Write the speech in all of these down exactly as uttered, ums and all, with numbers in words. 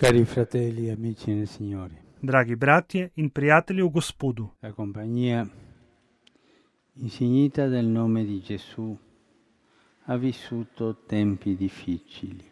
Cari fratelli e amici nel Signore, Dragi bratje in prijatelji v Gospodu, la compagnia insignita del nome di Gesù ha vissuto tempi difficili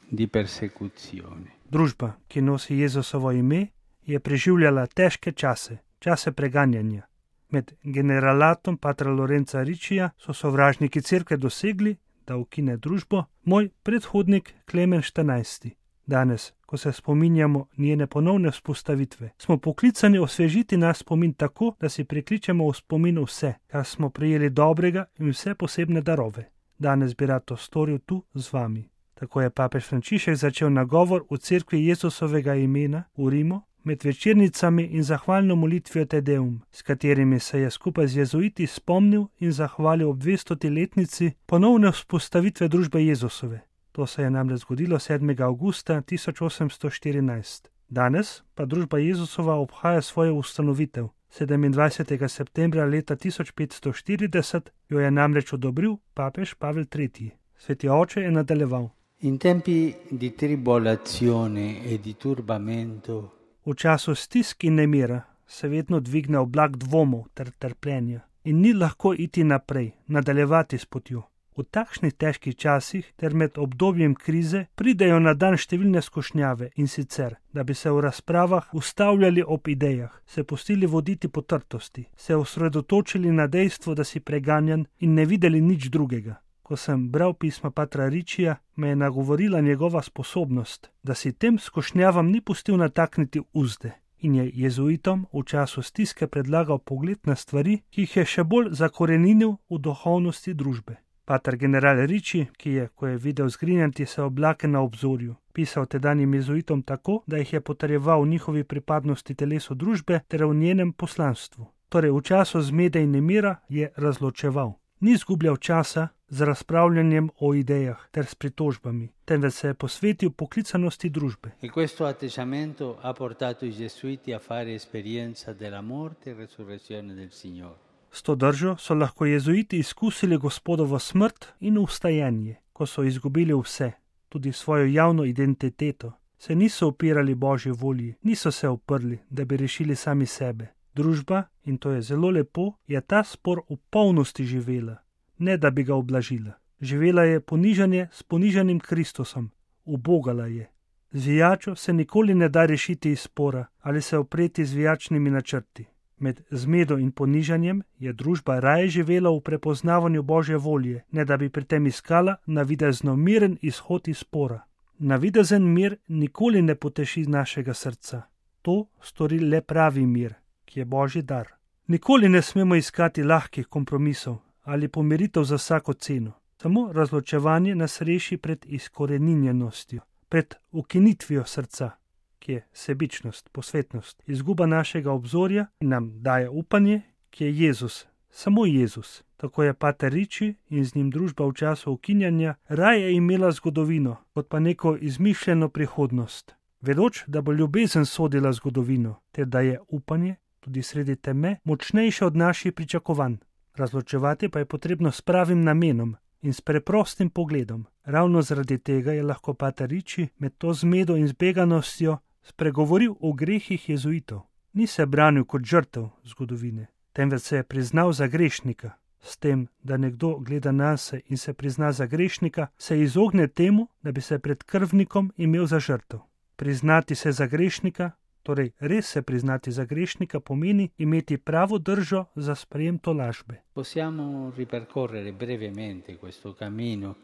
di persecuzione. družba, ki nosi Jezusovo ime, je preživljala težke čase, čase preganjanja. Med generalatom patra Lorenza Riccija so sovražniki cerkve dosegli, da ukine družbo, moj predhodnik Klemen štirinajsti. Danes, ko se spominjamo njene ponovne vzpostavitve, smo poklicani osvežiti naš spomin tako, da si prikličemo v spomin vse, kar smo prejeli dobrega in vse posebne darove. Danes bi rad to storil tu z vami. Tako je papež Frančišek začel nagovor v cerkvi Jezusovega imena v Rimu med večernicami in zahvalno molitvijo Te Deum, s katerimi se je skupaj z jezuiti spomnil in zahvalil ob dvestoti letnici ponovne vzpostavitve družbe Jezusove. To se je namreč zgodilo sedmega avgusta tisoč osemsto štirinajst. Danes pa družba Jezusova obhaja svojo ustanovitev. sedemindvajsetega septembra leta tisoč petsto štirideset jo je namreč odobril papež Pavel tretji. Sveti oče je nadaljeval. In tempi di tribolazione e di turbamento, V času stisk in nemira se vedno dvigne oblak dvomov ter trpljenja in ni lahko iti naprej, nadaljevati s potjo. V takšnih težkih časih ter med obdobjem krize pridejo na dan številne skušnjave in sicer, da bi se v razpravah ustavljali ob idejah, se pustili voditi po trtosti, se osredotočili na dejstvo, da si preganjan in ne videli nič drugega. Ko sem bral pisma patra Riccija, me je nagovorila njegova sposobnost, da si tem skušnjavam ni pustil natakniti uzde in je jezuitom v času stiske predlagal pogled na stvari, ki jih je še bolj zakoreninil v duhovnosti družbe. Pater general Ricci, ki je, ko je videl zgrinjati se oblake na obzorju, pisal tedanjim jezuitom tako, da jih je potrjeval v njihovi pripadnosti telesu družbe ter v njenem poslanstvu. Torej v času zmede in nemira je razločeval. Ni izgubljal časa z razpravljanjem o idejah ter s pritožbami, temveč se je posvetil poklicanosti družbe. e questo atteggiamento ha portato i gesuiti a fare esperienza della morte e resurrezione del Signore. S to držo so lahko jezuiti izkusili Gospodovo smrt in vstajenje, ko so izgubili vse, tudi svojo javno identiteto. Se niso upirali Božji volji, niso se uprli, da bi rešili sami sebe. Družba, in to je zelo lepo, je ta spor v polnosti živela, ne da bi ga oblažila. Živela je ponižanje s ponižanim Kristusom, ubogala je. Zvijačo se nikoli ne da rešiti iz spora ali se opreti zvijačnimi načrti. Med zmedo in ponižanjem je družba raje živela v prepoznavanju Božje volje, ne da bi pri tem iskala navidezno miren izhod iz spora. Navidezen mir nikoli ne poteši našega srca. To stori le pravi mir, ki je Božji dar. Nikoli ne smemo iskati lahkih kompromisov ali pomiritev za vsako ceno. Samo razločevanje nas reši pred izkoreninjenostjo, pred ukinitvijo srca, ki je sebičnost, posvetnost, izguba našega obzorja in nam daje upanje, ki je Jezus, samo Jezus. Tako je pater Ricci in z njim družba v času ukinjanja raje imela zgodovino, kot pa neko izmišljeno prihodnost. Vedoč, da bo ljubezen sodila zgodovino, ter da je upanje tudi sredi teme močnejše od naših pričakovanj. Razločevati pa je potrebno s pravim namenom in s preprostim pogledom. Ravno zaradi tega je lahko pater Ricci med to zmedo in zbeganostjo spregovoril o grehih jezuitov. Ni se branil kot žrtev zgodovine, temveč se je priznal za grešnika. S tem, da nekdo gleda nase in se prizna za grešnika, se izogne temu, da bi se pred krvnikom imel za žrtev. Priznati se za grešnika, torej res se priznati za grešnika, pomeni imeti pravo držo za sprejem tolažbe. Possiamo ripercorrere brevemente questo cammino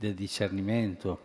del discernimento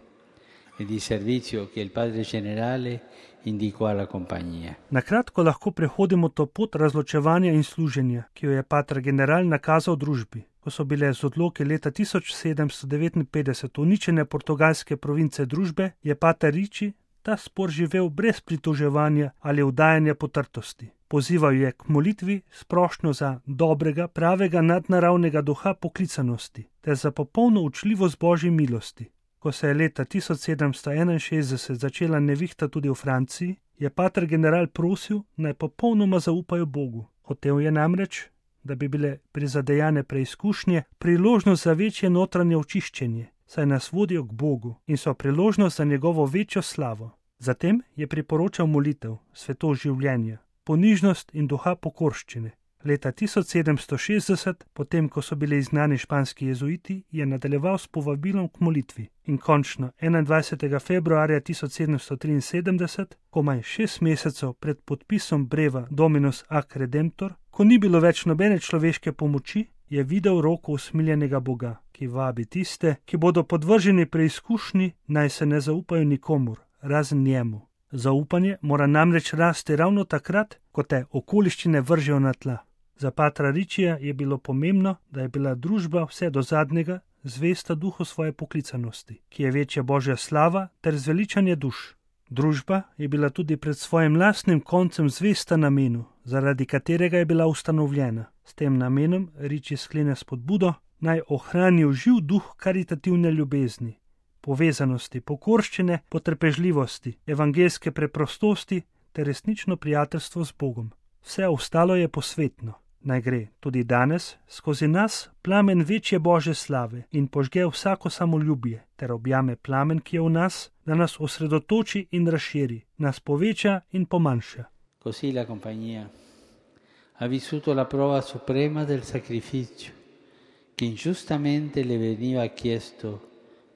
e di servizio che il Padre Generale indicò alla compagnia. Na kratko lahko prehodimo to pot razločevanja in služenja, ki jo je pater general nakazal družbi. Ko so bile z odloki leta tisoč sedemsto devetinpetdeset uničene portugalske province družbe, je pater Ricci ta spor živel brez pritoževanja ali vdajanja potrtosti. Pozival je k molitvi s prošnjo za dobrega, pravega nadnaravnega duha poklicanosti ter za popolno učljivost Božje milosti. Ko se je leta tisoč sedemsto enainšestdeset začela nevihta tudi v Franciji, je pater general prosil, naj popolnoma zaupajo Bogu. Hotel je namreč, da bi bile prizadejane preizkušnje priložnost za večje notranje očiščenje, saj nas vodijo k Bogu in so priložnost za njegovo večjo slavo. Zatem je priporočal molitev, svetost življenja, ponižnost in duha pokorščine. Leta tisoč sedemsto šestdeset, potem ko so bili izgnani španski jezuiti, je nadaljeval s povabilom k molitvi in končno enaindvajsetega februarja tisoč sedemsto triinsedemdeset, komaj šest mesecev pred podpisom breva Dominus ac Redemptor, ko ni bilo več nobene človeške pomoči, je videl roko usmiljenega Boga, ki vabi tiste, ki bodo podvrženi preizkušnji, naj se ne zaupajo nikomur, razen njemu. Zaupanje mora namreč rasti ravno takrat, ko te okoliščine vržejo na tla. Za patra Ričija je bilo pomembno, da je bila družba vse do zadnjega zvesta duhu svoje poklicanosti, ki je večja božja slava ter zveličanje duš. Družba je bila tudi pred svojim lastnim koncem zvesta namenu, zaradi katerega je bila ustanovljena. S tem namenom Riči sklene spodbudo, naj ohranijo živ duh karitativne ljubezni, povezanosti, pokorščine, potrpežljivosti, evangelske preprostosti ter resnično prijateljstvo z Bogom. Vse ostalo je posvetno. Naj gre tudi danes skozi nas plamen večje božje slave in požge vsako samoljubje ter objame plamen, ki je v nas, da nas osredotoči in razširi, nas poveča in pomanjša. Così la compagnia ha vissuto la prova suprema del sacrificio che ingiustamente le veniva chiesto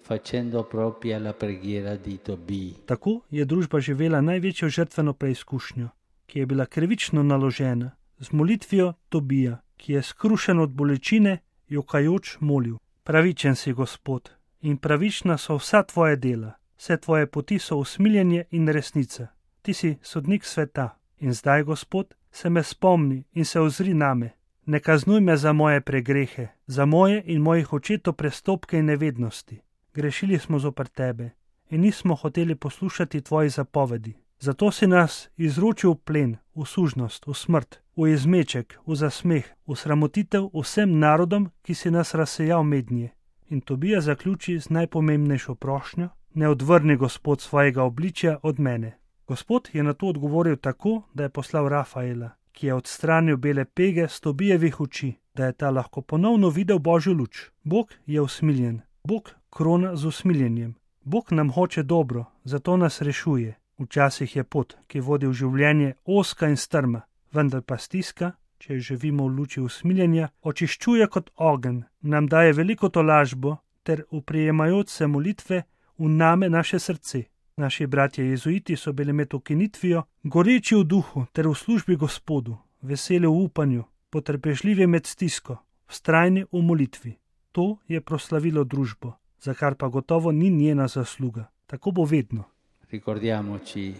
facendo propria la preghiera di Tobì. Tako je družba živela največjo žrtveno preizkušnjo, ki je bila krivično naložena, z molitvijo Tobija, ki je skrušen od bolečine, jokajoč molil: Pravičen si, Gospod, in pravična so vsa tvoja dela, vse tvoje poti so usmiljenje in resnica. Ti si sodnik sveta. In zdaj, Gospod, se me spomni in se ozri name. Ne kaznuj me za moje pregrehe, za moje in mojih očetov prestopke in nevednosti. Grešili smo zoper tebe in nismo hoteli poslušati tvojih zapovedi. Zato si nas izročil v plen, v sužnost, v smrt, v izmeček, v zasmeh, v sramotitev vsem narodom, ki si nas razsejal mednje. In Tobija zaključi z najpomembnejšo prošnjo: ne odvrni, Gospod, svojega obličja od mene. Gospod je na to odgovoril tako, da je poslal Rafaela, ki je odstranil bele pege s Tobijevih oči, da je ta lahko ponovno videl božjo luč. Bog je usmiljen, Bog krona z usmiljenjem. Bog nam hoče dobro, zato nas rešuje. Včasih je pot, ki vodi v življenje, ozka in strma, vendar pa stiska, če živimo v luči usmiljenja, očiščuje kot ogenj, nam daje veliko tolažbo ter uprijemajoč se molitve v name naše srce. Naši bratje jezuiti so bili med ukinitvijo goreči v duhu ter v službi Gospodu, veseli v upanju, potrpežljivi med stisko, vztrajni v molitvi. To je proslavilo družbo, za kar pa gotovo ni njena zasluga. Tako bo vedno. Ricordiamoci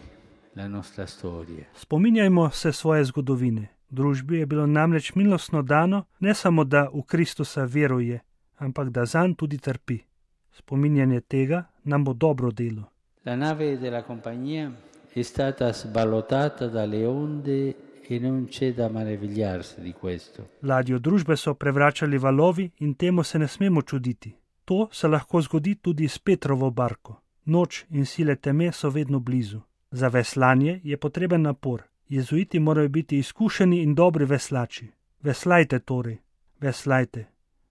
la nostra storia. Spominjajmo se svoje zgodovine. Družbi je bilo namreč milostno dano, ne samo da v Kristusa veruje, ampak da zanj tudi trpi. Spominjanje tega nam bo dobro delo. La nave della compagnia è stata sballottata dalle onde e non c'è da meravigliarsi di questo. Ladjo družbe so prevračali valovi in temu se ne smemo čuditi. To se lahko zgodi tudi s Petrovo barko. Noč in sile teme so vedno blizu. Za veslanje je potreben napor. Jezuiti morajo biti izkušeni in dobri veslači. Veslajte torej, veslajte.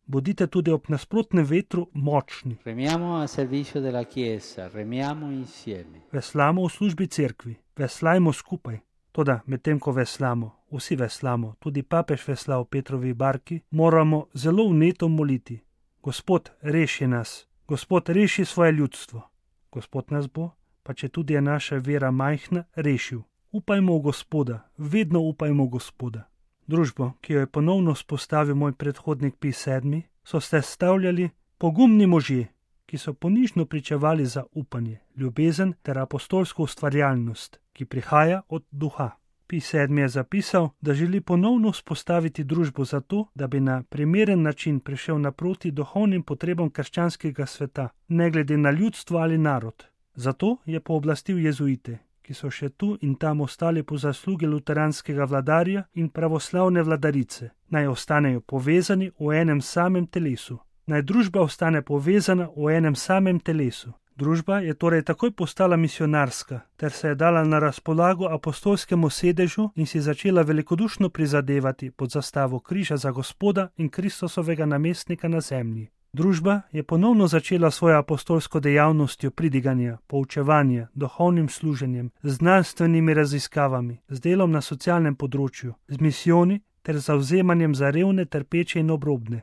Bodite tudi ob nasprotnem vetru močni. Remiamo a servizio della Chiesa, remiamo insieme. Veslamo v službi cerkvi, veslajmo skupaj. Toda medtem ko veslamo, vsi veslamo, tudi papež vesla v Petrovi barki, moramo zelo vneto moliti. Gospod, reši nas. Gospod, reši svoje ljudstvo. Gospod nas bo, pa če tudi je naša vera majhna, rešil. Upajmo v Gospoda, vedno upajmo v Gospoda. Družbo, ki jo je ponovno spostavil moj predhodnik Pij sedmi, so sestavljali pogumni možje, ki so ponižno pričevali za upanje, ljubezen ter apostolsko ustvarjalnost, ki prihaja od duha. Pij sedmi je zapisal, da želi ponovno vzpostaviti družbo zato, da bi na primeren način prišel naproti duhovnim potrebam krščanskega sveta, ne glede na ljudstvo ali narod. Zato je pooblastil jezuite, ki so še tu in tam ostali po zaslugi luteranskega vladarja in pravoslavne vladarice, naj ostanejo povezani v enem samem telesu. Naj družba ostane povezana v enem samem telesu. Družba je torej takoj postala misionarska, ter se je dala na razpolago apostolskemu sedežu in si začela velikodušno prizadevati pod zastavo križa za Gospoda in Kristusovega namestnika na zemlji. Družba je ponovno začela svojo apostolsko dejavnostjo pridiganja, poučevanja, duhovnim služenjem, znanstvenimi raziskavami, z delom na socialnem področju, z misijoni ter zavzemanjem za revne, trpeče in obrobne.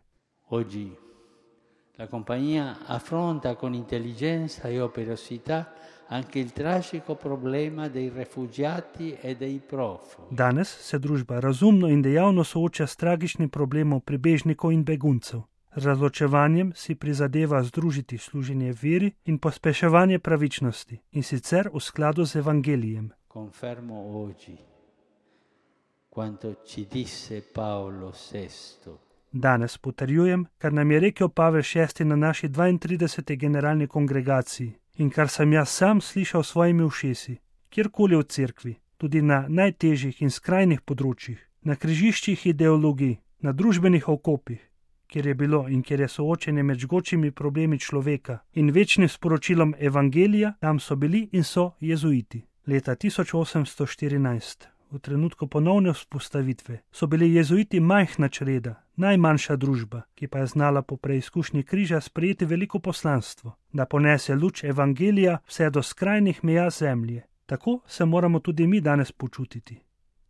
Oggi la compagnia affronta con intelligenza e operosità anche il tragico problema dei rifugiati e dei profughi. Danes se družba razumno in dejavno sooča s tragičnim problemom pribežnikov in beguncev. Z razločevanjem si prizadeva združiti služenje veri in pospeševanje pravičnosti, in sicer v skladu z evangelijem. Confermo oggi quanto ci disse Paolo sesto. Danes potrjujem, kar nam je rekel Pavel šesti na naši dvaintrideseti generalni kongregaciji in kar sem jaz sam slišal s svojimi ušesi, kjerkoli v cerkvi, tudi na najtežjih in skrajnih področjih, na križiščih ideologij, na družbenih okopih, kjer je bilo in kjer je soočenje med žgočimi problemi človeka in večnim sporočilom evangelija, tam so bili in so jezuiti. Leta tisoč osemsto štirinajst, v trenutku ponovne vzpostavitve, so bili jezuiti majhna čreda, najmanjša družba, ki pa je znala po preizkušnji križa sprejeti veliko poslanstvo, da ponese luč evangelija vse do skrajnih meja zemlje. Tako se moramo tudi mi danes počutiti.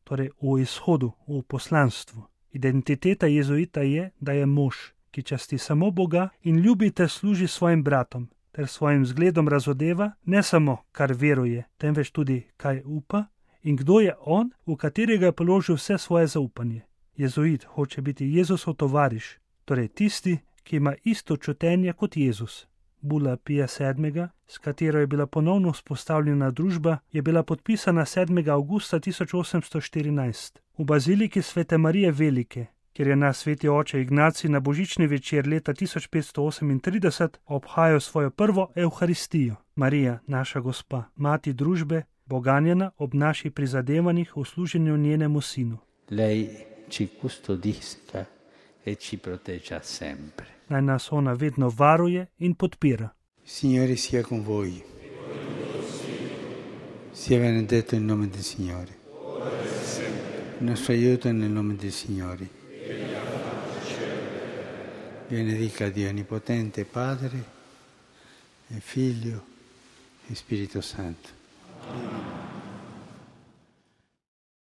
Torej v izhodu, v poslanstvu. Identiteta jezuita je, da je mož, ki časti samo Boga in ljubi ter služi svojim bratom, ter svojim zgledom razodeva ne samo, kar veruje, temveč tudi, kaj upa in kdo je on, v katerega je položil vse svoje zaupanje. Jezuit hoče biti Jezusov tovariš, torej tisti, ki ima isto čutenje kot Jezus. Bula Pija sedmega, s katero je bila ponovno vzpostavljena družba, je bila podpisana sedmega avgusta tisoč osemsto štirinajst v baziliki Svete Marije Velike, kjer je naš sveti oče Ignacij na božični večer leta tisoč petsto osemintrideset obhajal svojo prvo evharistijo. Marija, naša gospa, mati družbe, bo ganjena ob naših prizadevanjih v služenju njenemu sinu. Lei ci custodisca e ci proteggia sempre. Naj nas ona vedno varuje in podpira. Signore sia con voi. Sia benedetto il nome del Signore. Il nostro aiuto è nel nome del Signore. Benedica Dio Onnipotente, Padre e Figlio e Spirito Santo. Amen.